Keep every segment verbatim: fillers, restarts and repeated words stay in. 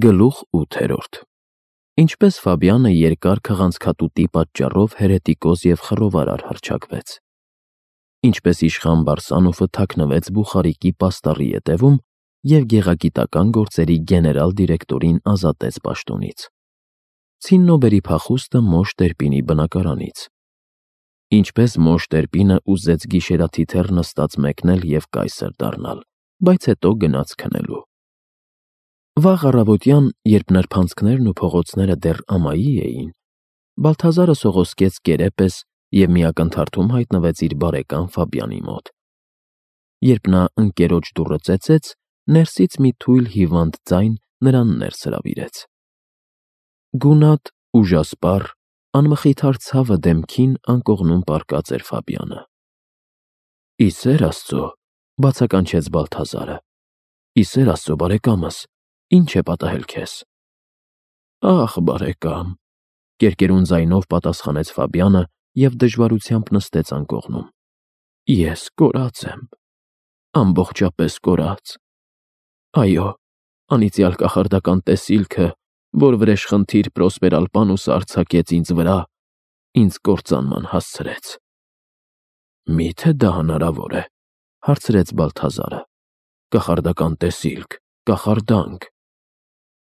Գլուխ ութերորդ Ինչպես Ֆաբյանը երկար քղանցքատուտի պատճառով հերետիկոս և խռովարար հռչակվեց, ինչպես իշխան Բարսանոֆը թաքնվեց Բուխարիկի պաստառի ետևում և գեղագիտական գործերի գեներալ դիրեկտորին ազատեց պաշտոնից, ցիննոբերի փախուստը Մոշ Տերպինի բնակարանից, ինչպես Մոշ Տերպինը ուզեց գիշերաթիթեռ նստած մեկնել և կայսր դառնալ, բայց հետո գնաց քնելու։ Վաղ առավոտյան, երբ նրբանցքներն ու փողոցները դեռ ամայի էին, Բալթազարը սողոսկեց կերե պես և մի ակնթարթում հայտնվեց իր բարեկամ Ֆաբյանի մոտ։ Երբ նա ընկերոջ դուռը ծեծեց, ներսից մի թույլ հիվանդ ձայն նրան ներս հրավիրեց։ Գունատ, ուժասպառ, անմխիթար ցավը դեմքին անկողնում պառկած էր Ֆաբյանը։ Ի սեր Աստծո, բացականչեց Բալթազարը, ի սեր Աստծո, բարեկամս, ինչ է պատահել քեզ։ Ախ, բարեկամ, կերկերուն ձայնով պատասխանեց Ֆաբյանը և դժվարությամբ նստեց անկողնում։ Ես կորած եմ, ամբողջապես կորած։ Այո, անիծյալ կախարդական տեսիլքը, որ վրեժխնդիր Պրոսպեր-Ալպանուսը արձակեց ինձ վրա, ինձ կործանման հասցրեց։ Մի՞թե դա հնարավոր է, հարցրեց Բալթազարը։ Կախարդական տեսիլք, կախարդանք։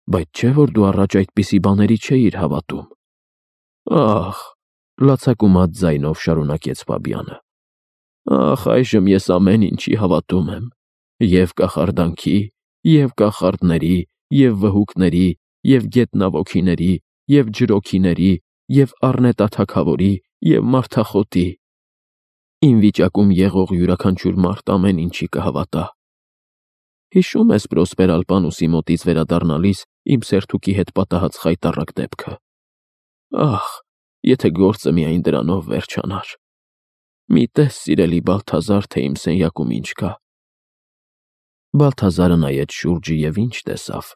Բայց չէ՞ որ դու առաջ այդպիսի բաների չէիր հավատում։ Ախ, լացակումած ձայնով շարունակեց Ֆաբյանը։ Ախ, այժմ ես ամեն ինչի հավատում եմ, և կախարդանքի, և կախարդների, և վհուկների, և գետնավորիչների, և ջրօրիների, և առնետա թագավորի, և մարդախոտի։ Իմ վիճակում եղող յուրաքանչյուր մարդ ամեն ինչի կհավատա։ Հիշո՞ւմ ես Պրոսպեր-Ալպանուսի մոտից վերադառնալիս իմ սերթուկի հետ պատահած խայտառակ դեպքը։ Ախ, եթե գործը միայն դրանով վերջանար։ Մի տես, սիրելի Բալթազար, թե իմ սենյակում ինչ կա։ Բալթազարը նայեց շուրջը և ինչ տեսավ։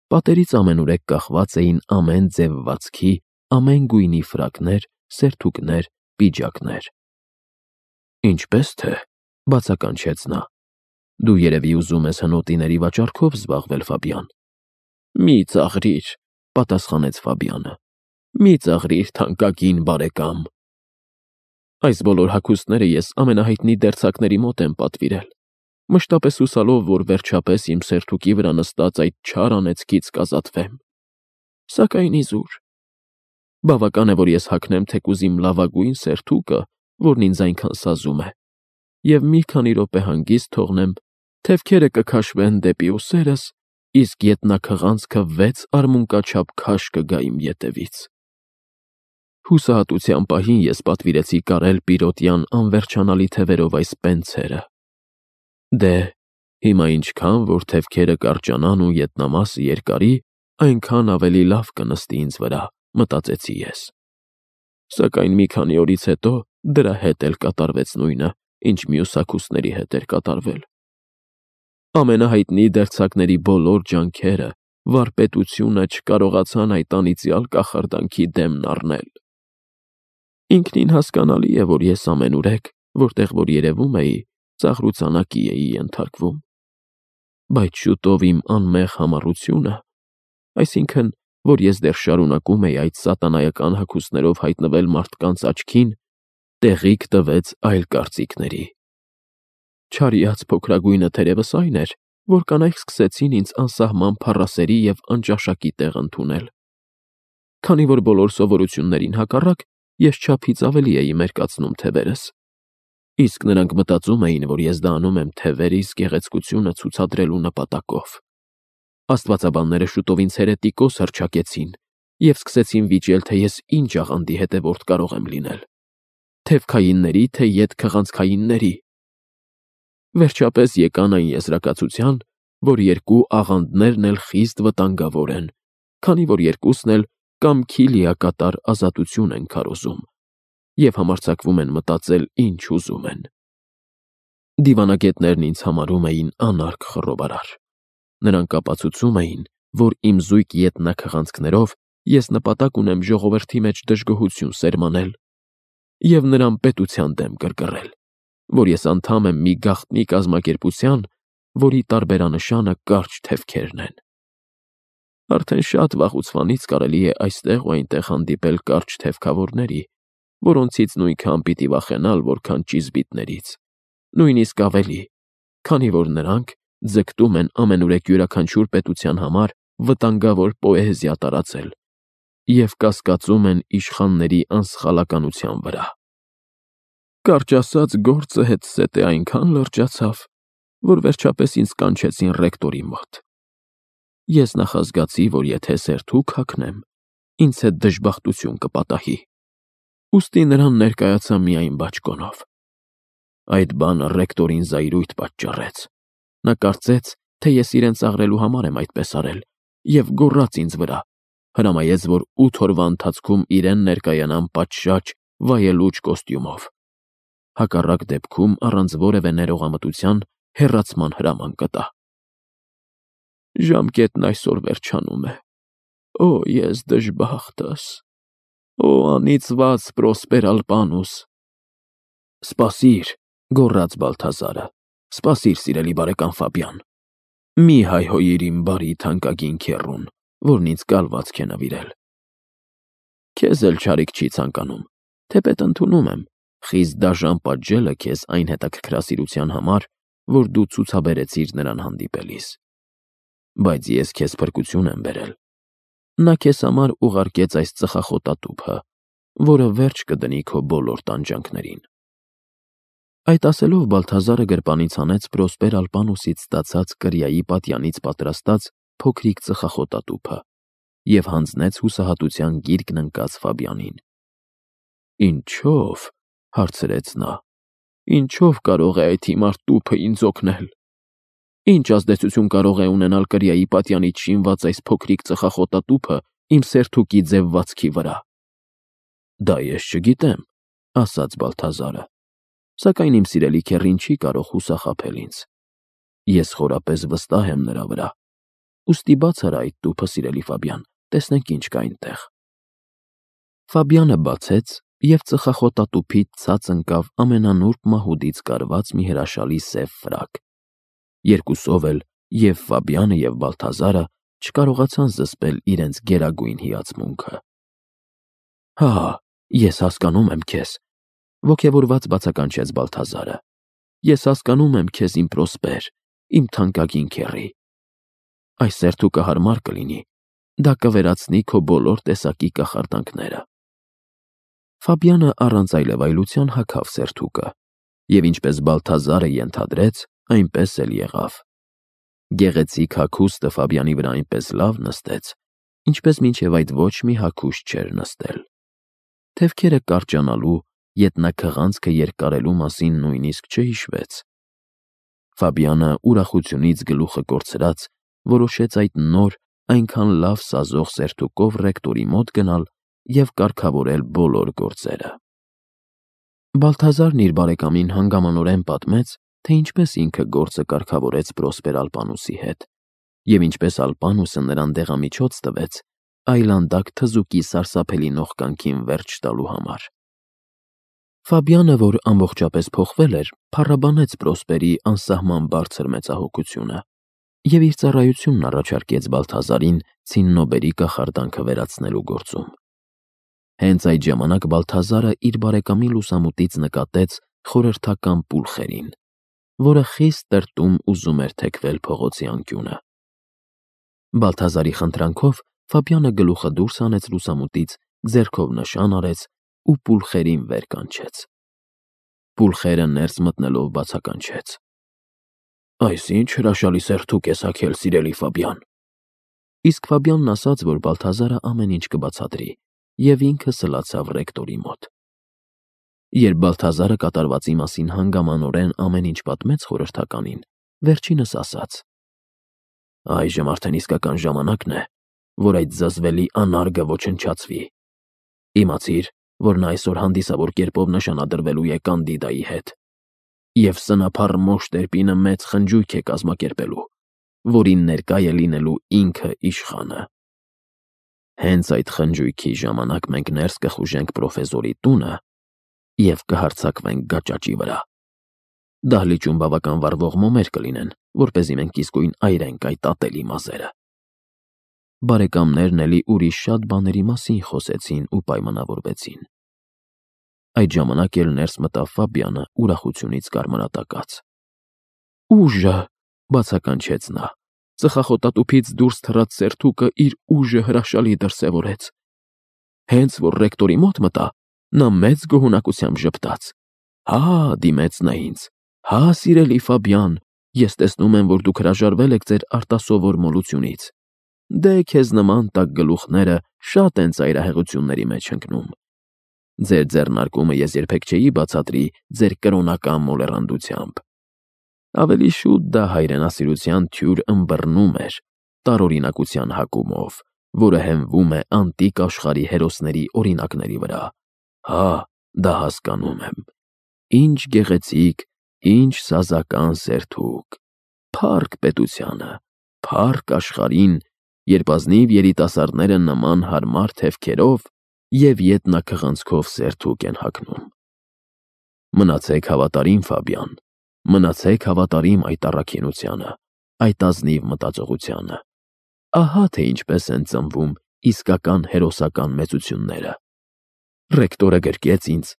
Պատերից ամենուրեք կախված էին ամեն ձևվածքի, ամեն գույնի ֆրակներ, սերթուկներ, պիջակներ։ Ինչպես թե, բացականչեց նա, դու երևի ուզում ես հնոտիների վաճառքով զբաղվել, Ֆաբյան։ Մի ծաղրիր, պատասխանեց Ֆաբյանը, մի ծաղրիր, թանկագին բարեկամ։ Այս բոլոր հագուստները ես ամենահայտնի դերձակների մոտ եմ պատվիրել, մշտապես հուսալով, որ վերջապես իմ սերթուկի վրա նստած այդ չար անեծքից կազատվեմ։ Սակայն իզուր։ Բավական է, որ ես հագնեմ թեկուզ իմ լավագույն սերթուկը, որն ինձ այնքան սազում է, և մի քանի րոպե հանգիստ թողնեմ, թևքերը կքաշվեն դեպի ուսերս, իսկ ետնաքղանցքը վեց արմունկաչափ քաշ կգա իմ ետևից։ Հուսահատության պահին ես պատվիրեցի կարել Պիրոտյան անվերջանալի թևերով այս պենցերը։ Դե, հիմա ինչքան որ թևքերը կարճանան ու ետնամասը երկարի, այնքան ավելի լավ կնստի ինձ վրա, մտածեցի ես։ Սակայն մի քանի օրից հետո դրա հետ էլ կատարվեց նույնը, ինչ մյուս հագուստների հետ էր կատարվել։ Ամենահայտնի դերձակների բոլոր ջանքերը, վարպետությունը չկարողացան այդ անիծյալ կախարդանքի դեմն առնել։ Ինքնին հասկանալի է, որ ես ամենուրեք, որտեղ որ երևում էի, ծաղրուծանակի էի ենթարկվում։ Բայց շուտով իմ անմեղ համառությունը, այսինքն, որ ես դեռ շարունակում էի այդ սատանայական հագուստներով հայտնվել մարդկանց աչքին, տեղիք տվեց այլ կարծիքների։ Չարիած փոքրագույնը թերևս այն էր, որ կանայք սկսեցին ինձ անսահման փառասերի և անճաշակի տեղ ընդունել։ Քանի որ բոլոր սովորություններին հակառակ, ես չափից ավելի էի մերկացնում թևերս։ Իսկ նրանք մտածում էին, որ ես դա անում եմ թևերիս գեղեցկությունը ցուցադրելու նպատակով։ Աստվածաբանները շուտով ինձ հերետիկոս հռչակեցին և սկսեցին վիճել, թե ես ինչ աղանդի հետևորդ կարող եմ լինել, թևքայինների, թե ետքղանցքայինների։ Վերջապես եկան այն եզրակացության, որ երկու աղանդներն էլ խիստ վտանգավոր են, քանի որ երկուսն էլ կամքի լիակատար ազատություն են քարոզում և համարձակվում են մտածել ինչ ուզում են։ Դիվանագետներն ինձ համարում էին անարգ խռովարար։ Նրանք ապացուցում էին, որ իմ զույգ ետնաքղանցքներով ես նպատակ ունեմ ժողովրդի մեջ դժգոհություն սերմանել և նրան պետության դեմ կռկռել, որ ես անդամ եմ մի գաղտնի կազմակերպության, որի տարբերանշանը կարճ թևքերն են։ Արդեն շատ վաղուց կարելի է այստեղ ու այնտեղ հանդիպել կարճ թևքավորների, որոնցից նույնքան պիտի վախենալ, որքան ճիզբիտներից, նույնիսկ ավելի, քանի որ նրանք ձգտում են ամենուրեք յուրաքանչյուր պետության համար վտանգավոր պոեզիա տարածել և կասկածում են իշխանների անսխալականության վրա։ Կարճ ասած, գործը հետզհետե այնքան լրջացավ, որ վերջապես ինձ կանչեցին ռեկտորի մոտ։ Ես նախազգացի, որ եթե սերթուք հագնեմ, ինձ հետ դժբախտություն կպատահի, ուստի նրան ներկայացա միայն բաճկոնով։ Այդ բանը ռեկտորին զայրույթ պատճառեց։ Նա կարծեց, թե ես իրեն ծաղրելու համար եմ այդպես արել, և գոռաց ինձ վրա, հրամայեց, որ ութ օրվա ընթացքում իրեն ներկայանամ պատշաճ, վայելուչ կոստյումով։ Հակառակ դեպքում առանց որևէ ներողամտության հեռացման հրաման կտա։ Ժամկետն այսօր վերջանում է։ Օ, ես դժբախտս, օ, անիծված Պրոսպեր Ալպանուս։ Սպասիր, գոռաց Բալթազարը, սպասիր, սիրելի բարեկամ Ֆաբյան, մի հայհոյիր իմ բարի թանկագին քեռուն, որն ինձ կալվածք է նվիրել։ Քեզ էլ չարիք չի ցանկանում, թեպետ ընդունում եմ, խիստ դաժան պատժելը քեզ այն հետաքրքրասիրության համար, որ դու ցուցաբերեցիր նրան հանդիպելիս։ Բայց ես քեզ փրկություն եմ բերել։ Նա քեզ համար ուղարկեց այս ծխախոտատուփը, որը վերջ կդնի քո բոլոր տանջանքներին։ Այդ ասելով Բալթազարը գրպանից հանեց Պրոսպեր Ալպանուսից ստացած կրիայի պատյանից պատրաստած փոքրիկ ծխախոտատուփը և հանձնեց հուսահատության գիրկն ընկած Ֆաբյանին։ Ինչո՞վ, հարցրեց նա, ինչո՞վ կարող է այդ հիմար տուփը ինձ օգնել։ Ինչ ազդեցություն կարող է ունենալ կրիայի պատյանից շինված այս փոքրիկ ծխախոտատուփը իմ սերթուկի ձևվածքի վրա։ Դա ես չգիտեմ, ասաց Բալթազարը, սակայն իմ սիրելի քեռին չի կարող հուսախաբել ինձ։ Ես խորապես վստահ եմ նրա վրա։ Ուստի բաց արա այդ տուփը, սիրելի Ֆաբյան, տեսնենք ինչ կա այնտեղ։ Ֆաբյանը բացեց, և ծխախոտատուփից ցած ընկավ ամենանուրբ մահուդից կարված մի հրաշալի սև ֆրակ։ Երկուսով էլ և Ֆաբյանը, և Բալթազարը չկարողացան զսպել իրենց գերագույն հիացմունքը։ Հա, ես հասկանում եմ քեզ, ոգևորված բացականչեց Բալթազարը։ Ես հասկանում եմ քեզ, իմ Պրոսպեր, իմ թանկագին քեռի։ Այս սերթուկը հարմար կլինի, դա կվերացնի քո բոլոր տեսակի կախարդանքները։ Ֆաբյանը առանց այլևայլության հագավ սերթուկը, և ինչպես Բալթազարը ենթադրեց, այնպես էլ եղավ։ Գեղեցիկ հագուստը Ֆաբյանի վրա այնպես լավ նստեց, ինչպես մինչև այդ ոչ մի հագուստ չէր նստել։ Թևքերը կարճանալու, ետնաքղանցքը երկարելու մասին նույնիսկ չհիշվեց։ Ֆաբյանը ուրախությունից գլուխը կորցրած, որոշեց այդ նոր, այնքան լավ սազող սերթուկով ռեկտորի մոտ գնալ և կարգավորել բոլոր գործերը։ Բալթազարն իր բարեկամին հանգամանորեն պատմեց, թե ինչպես ինքը գործը կարգավորեց Պրոսպեր Ալպանուսի հետ, և ինչպես Ալպանուսը նրան դեղամիջոց տվեց այլանդակ թզուկի սարսափելի նողկանքին վերջ տալու համար։ Ֆաբյանը, որ ամբողջապես փոխվել էր, փառաբանեց Պրոսպերի անսահման բարձր մեծահոգությունը և իր ծառայությունն առաջարկեց Բալթազարին ցիննոբերի կախարդանքը վերացնելու գործում։ Հենց այդ ժամանակ Բալթազարը իր բարեկամի լուսամուտից նկատեց խորհրդական Պուլխերին, որը խիստ տրտում ուզում էր թեքվել փողոցի անկյունը։ Բալթազարի խնդրանքով Ֆաբյանը գլուխը դուրս հանեց լուսամուտից, ձեռքով նշան արեց ու Պուլխերին վեր կանչեց։ Պուլխերը ներս մտնելով բացականչեց. Այս ինչ հրաշալի սերթուկ ես հագել, սիրելի Ֆաբյան։ Իսկ Ֆաբյանն ասաց, որ Բալթազարը ամեն ինչ կբացատրի, և ինքը սլացավ ռեկտորի մոտ։ Երբ Բալթազարը կատարվածի մասին հանգամանորեն ամեն ինչ պատմեց խորհրդականին, վերջինս ասաց. Այժմ արդեն իսկական ժամանակն է, որ այդ զզվելի անարգը ոչնչացվի։ Իմացիր, որ նա այսօր հանդիսավոր կերպով նշանադրվելու է Կանդիդայի հետ, և սնափառ Մոշ-Տերպինը մեծ խնջույք է կազմակերպելու, որին ներկա է լինելու ինքը իշխանը։ Հենց այդ խնջույքի ժամանակ մենք ներս կխուժենք պրոֆեսորի տունը և կհարձակվենք գաճաճի վրա։ Դահլիճում բավական վառվող մոմեր կլինեն, որպեսզի մենք իսկույն այրենք այդ ատելի մազերը։ բարեկամներն էլի ուրիշ շատ բաների մասին խոսեցին ու պայմանավորվեցին։ Այդ ժամանակ էլ ներս մտավ Ֆաբիանը ուրախությունից կարմրատակած։ «Ուժը», բացականչեց նա, ծխախոտատուփից դուրս թռած սերթուկը իր ուժը հրաշալի դրսևորեց։ Հենց որ ռեկտորի մոտ մտա, նա մեծ գոհունակությամբ ժպտաց։ «Հա», դիմեց նա ինձ, «հա, սիրելի Ֆաբիան, ես տեսնում եմ, որ դուք հրաժարվել եք ձեր արտասովոր մոլությունից։ Դե քեզ նման տաք գլուխները շատ են ծայրահեղությունների մեջ ընկնում։ Ձեր ձեռնարկումը ես երբեք չէի բացատրի ձեր կրոնական մոլեռանդությամբ։ Ավելի շուտ դա հայրենասիրության թյուր ըմբռնում էր, տարօրինակության հակումով, որը հենվում է անտիկ աշխարհի հերոսների օրինակների վրա։ Հա, դա հասկանում եմ։ Ինչ գեղեցիկ, ինչ սազական սերթուկ, փառք պետությանը, փառք աշխարհին, երբ ազնիվ երիտասարդները նման հարմար թևքերով և ետնաքղանցքով սերթուկ են հագնում։ Մնացեք հավատարիմ, Ֆաբիան, մնացեք հավատարիմ այդ առաքինությանը, այդ ազնիվ մտածողությանը։ Ահա թե ինչպես են ծնվում իսկական հերոսական մեծությունները։ Ռեկտորը գրկեց ինձ,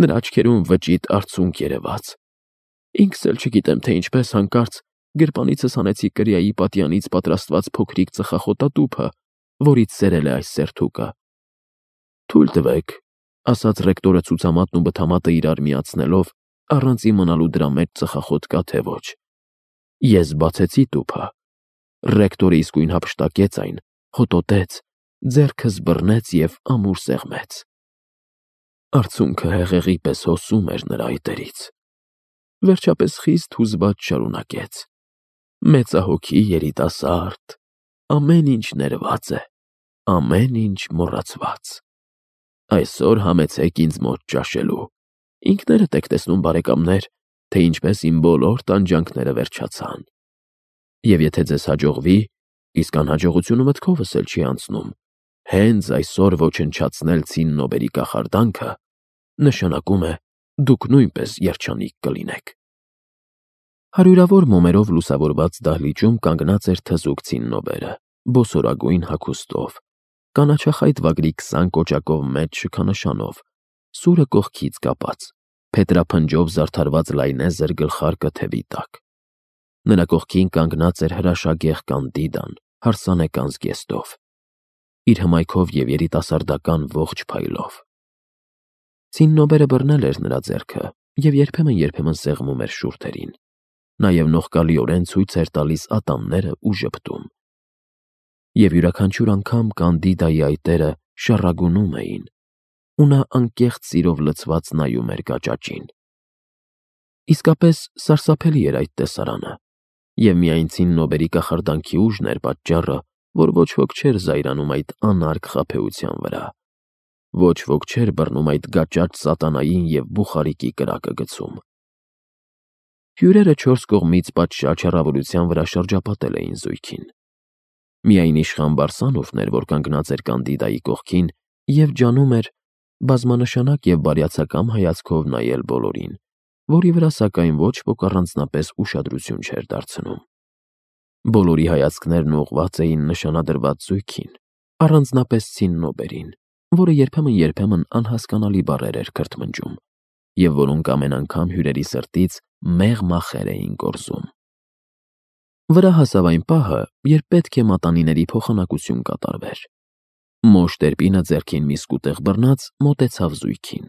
նրա աչքերում վճիտ արցունք երևաց։ Ինքս էլ չգիտեմ, թե ինչպես հանկարծ գրպանիցս հանեցի կրիայի պատյանից պատրաստված փոքրիկ ծխախոտատուփը, որից սերել է այս սերթուկը։ Թույլ տվեք, ասաց ռեկտորը ցուցամատն ու բթամատը իրար միացնելով, առանց իմանալու դրա մեջ ծխախոտ կա թե ոչ։ Ես բացեցի տուփը։ Ռեկտորը իսկույն հափշտակեց այն, հոտոտեց, ձեռքս բռնեց և ամուր սեղմեց։ Արցունքը հեղեղի պես հոսում էր նրա այտերից։ Վերջապես խիստ հուզված շարունակեց. Մեծահոգի երիտասարդ, ամեն ինչ ներված է, ամեն ինչ մոռացված։ Այսօր համեցեք ինձ մոտ ճաշելու։ Ինքներդ եք տեսնում, բարեկամներ, թե ինչպես իմ բոլոր տանջանքները վերջացան։ Եվ եթե ձեզ հաջողվի, իսկ անհաջողությունը մտքովս էլ չի անցնում, հենց այսօր ոչնչացնել Ցիննոբերի կախարդանքը, նշանակում է դուք նույնպես երջանիկ կլինեք։ Հարյուրավոր մոմերով լուսավորված դահլիճում կանգնած էր թզուկ Ցիննոբերը, բոսորագույն հագուստով, կանաչախայտ վագրի քսան կոճակով մեծ շքանշանով, սուրը կողքից կապած, փետրափնջով զարդարված լայնեզր գլխարկը թևի տակ։ Նրա կողքին կանգնած էր հրաշագեղ Կանդիդան, հարսանեկան զգեստով, իր հմայքով և երիտասարդական ողջ փայլով։ Ցիննոբերը բռնել էր նրա ձեռքը և երբեմն-երբեմն սեղմում էր շուրթերին, նաև նողկալիորեն ցույց էր տալիս ատամները ու ժպտում։ Եվ յուրաքանչյուր անգամ Կանդիդայի այտերը շառագունում էին, ու նա անկեղծ սիրով լցված նայում էր գաճաճին։ Իսկապես սարսափելի էր այդ տեսարանը, և միայն Ցիննոբերի կախարդանքի ուժն էր պատճառը, որ ոչ ոք չէր զայրանում այդ անարգ խաբեության վրա, ոչ ոք չէր բռնում այդ գաճաճ սատանային և բուխարիկի կրակը գցում։ Հյուրերը չորս կողմից պատշաճ հեռավորության վրա շրջապատել էին զույգին։ Միայն իշխան Բարսանովն էր, որ կանգնած էր Կանդիդայի կողքին և ջանում էր բազմանշանակ և բարյացակամ հայացքով նայել բոլորին, որի վրա սակայն ոչ ոք առանձնապես ուշադրություն չէր դարձնում։ Բոլորի հայացքներն ուղղված էին նշանադրված զույգին, առանձնապես Ցիննոբերին, որը երբեմն-երբեմն անհասկանալի բառեր էր քրթմնջում, և որոնք ամեն անգամ հյուրերի սրտից մեղմ ախեր էին գործում։ Վրա հասավ այն պահը, երբ պետք է մատանիների փոխանակություն կատարվեր։ Մոշ Տերպինը ձեռքին մի սկուտեղ բռնած մոտեցավ զույգին։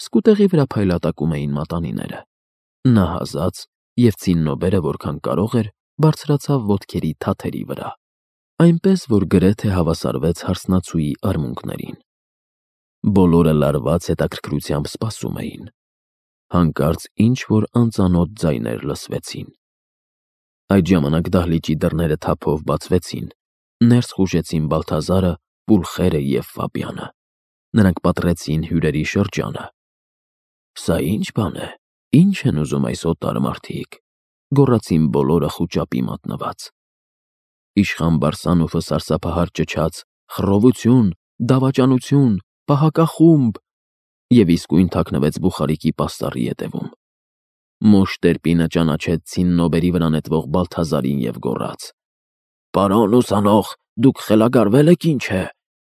Սկուտեղի վրա փայլատակում էին մատանիները։ Նա հազաց, և Ցիննոբերը, որքան կարող էր, բարձրացավ ոտքերի թաթերի վրա, այնպես, որ գրեթե հավասարվեց հարսնացուի արմունկներին։ Բոլորը լարված հետաքրքրությամբ սպասում էին։ Հանկարծ ինչ-որ անծանոթ ձայներ լսվեցին։ Այդ ժամանակ դահլիճի դռները թափով բացվեցին, ներս խուժեցին Բալթազարը, Պուլխերը և Ֆաբիանը։ Նրանք պատռեցին հյուրերի շրջանը։ «Սա ի՞նչ բան է, ի՞նչ են ուզում այս օտար մարդիկ», գոռացին բոլորը խուճապի մատնված։ Իշխան Բարսանովը սարսափահար ճչաց. «Խռովություն, դավաճանություն, պահակախումբ», և իսկույն թաքնվեց բուխարիկի պաստառի ետևում։ Մոշ Տերպինը ճանաչեց Ցիննոբերի վրա նետվող Բալթազարին և գոռաց. «Պարոն ուսանող, Դուք խելագարվե՞լ եք, ինչ է։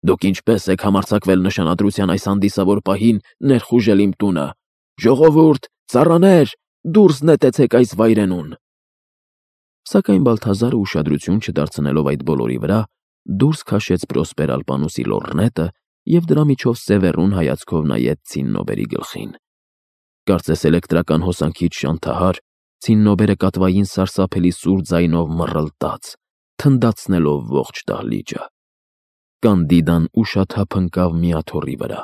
Դուք ինչպե՞ս եք համարձակվել նշանադրության այս հանդիսավոր պահին ներխուժել իմ տունը։ Ժողովուրդ, ծառաներ, դուրս նետեցեք այս վայրենուն։ Սակայն Բալթազարը ուշադրություն չդարձնելով այդ բոլորի վրա, դուրս քաշեց Պրոսպեր Ալպանուսի լոռնետը և դրա միջով սևեռուն հայացքով նայեց Ցիննոբերի գլխին։ Կարծես էլեկտրական հոսանքից շանթահար, Ցիննոբերը կատվային սարսափելի սուր ձայնով մռլտաց, թնդացնելով ողջ դահլիճը։ Կանդիդան ուշաթափ ընկավ մի աթոռի վրա։